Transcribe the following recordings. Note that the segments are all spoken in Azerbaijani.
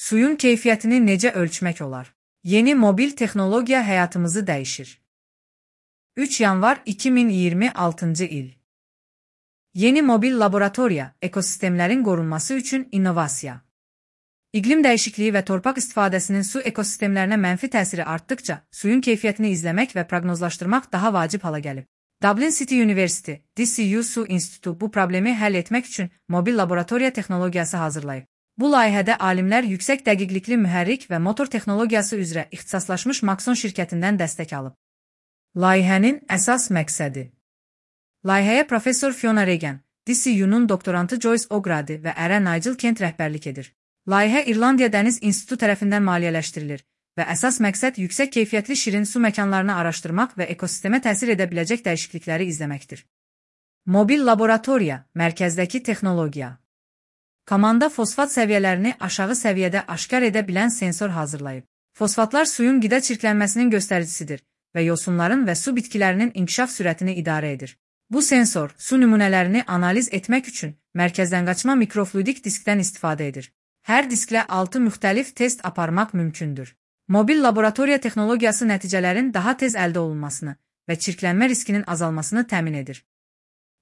Suyun keyfiyyətini necə ölçmək olar? Yeni mobil texnologiya həyatımızı dəyişir. 3 yanvar 2026 il. Yeni mobil laboratoriya, ekosistemlərin qorunması üçün innovasiya. İqlim dəyişikliyi və torpaq istifadəsinin su ekosistemlərinə mənfi təsiri artdıqca, suyun keyfiyyətini izləmək və proqnozlaşdırmaq daha vacib hala gəlib. Dublin City University, DCU Su İnstitutu bu problemi həll etmək üçün mobil laboratoriya texnologiyası hazırlayıb. Bu layihədə alimlər yüksək dəqiqlikli mühərrik və motor texnologiyası üzrə ixtisaslaşmış Maxon şirkətindən dəstək alıb. Layihənin əsas məqsədi. Layihəyə professor Fiona Regan, DCU-nun doktorantı Joyce O'Grady və ərə Nigel Kent rəhbərlik edir. Layihə İrlandiya Dəniz İnstitutu tərəfindən maliyyələşdirilir və əsas məqsəd yüksək keyfiyyətli şirin su məkanlarını araşdırmaq və ekosistemə təsir edə biləcək dəyişiklikləri izləməkdir. Mobil laboratoriya, mərkəzdəki texnologiya. Komanda fosfat səviyyələrini aşağı səviyyədə aşkar edə bilən sensor hazırlayıb. Fosfatlar suyun qida çirklənməsinin göstəricisidir və yosunların və su bitkilərinin inkişaf sürətini idarə edir. Bu sensor su nümunələrini analiz etmək üçün mərkəzdən qaçma mikrofluidik diskdən istifadə edir. Hər disklə 6 müxtəlif test aparmaq mümkündür. Mobil laboratoriya texnologiyası nəticələrin daha tez əldə olunmasını və çirklənmə riskinin azalmasını təmin edir.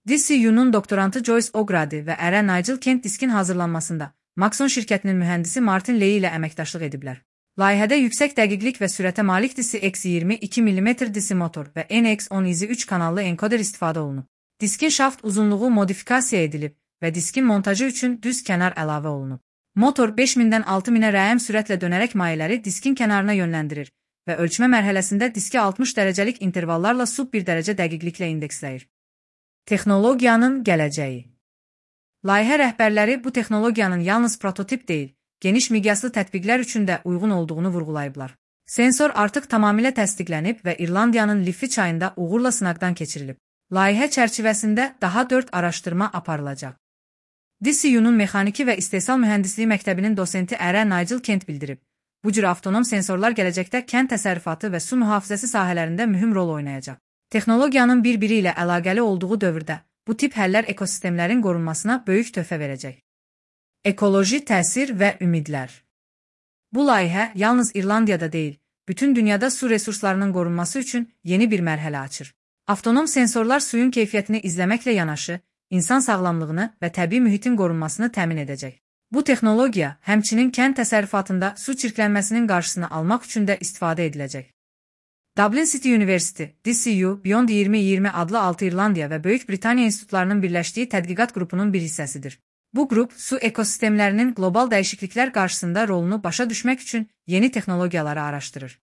DCU-nun doktorantı Joyce O'Grady və ərə Nigel Kent diskin hazırlanmasında Maxon şirkətinin mühəndisi Martin Ley ilə əməkdaşlıq ediblər. Layihədə yüksək dəqiqlik və sürətə malik DC-X20 2 mm DC motor və NX10 3 kanallı enkoder istifadə olunub. Diskin şaft uzunluğu modifikasiya edilib və diskin montajı üçün düz kənar əlavə olunub. Motor 5000-dən 6000-ə rəhm sürətlə dönərək mayeləri diskin kənarına yönləndirir və ölçmə mərhələsində diski 60 dərəcəlik intervallarla sub 1 dərəcə dəqiqliklə indeksləyir. Texnologiyanın gələcəyi. Layihə rəhbərləri bu texnologiyanın yalnız prototip deyil, geniş miqyaslı tətbiqlər üçün də uyğun olduğunu vurğulayıblar. Sensor artıq tamamilə təsdiqlənib və İrlandiyanın Liffey çayında uğurla sınaqdan keçirilib. Layihə çərçivəsində daha 4 araşdırma aparılacaq. DCU-nun Mexaniki və İstehsal Mühəndisliyi Məktəbinin dosenti ərə Nigel Kent bildirib. Bu cür avtonom sensorlar gələcəkdə kənd təsərrüfatı və su mühafizəsi sahələrində mühüm rol oynayacaq. Texnologiyanın bir-biri ilə əlaqəli olduğu dövrdə bu tip həllər ekosistemlərin qorunmasına böyük töhfə verəcək. Ekoloji təsir və ümidlər. Bu layihə yalnız İrlandiyada deyil, bütün dünyada su resurslarının qorunması üçün yeni bir mərhələ açır. Avtonom sensorlar suyun keyfiyyətini izləməklə yanaşı, insan sağlamlığını və təbii mühitin qorunmasını təmin edəcək. Bu texnologiya həmçinin kənd təsərrüfatında su çirklənməsinin qarşısını almaq üçün də istifadə ediləcək. Dublin City University, DCU, Beyond 2020 adlı 6 İrlandiya və Böyük Britaniya institutlarının birləşdiyi tədqiqat qrupunun bir hissəsidir. Bu qrup su ekosistemlərinin qlobal dəyişikliklər qarşısında rolunu başa düşmək üçün yeni texnologiyaları araşdırır.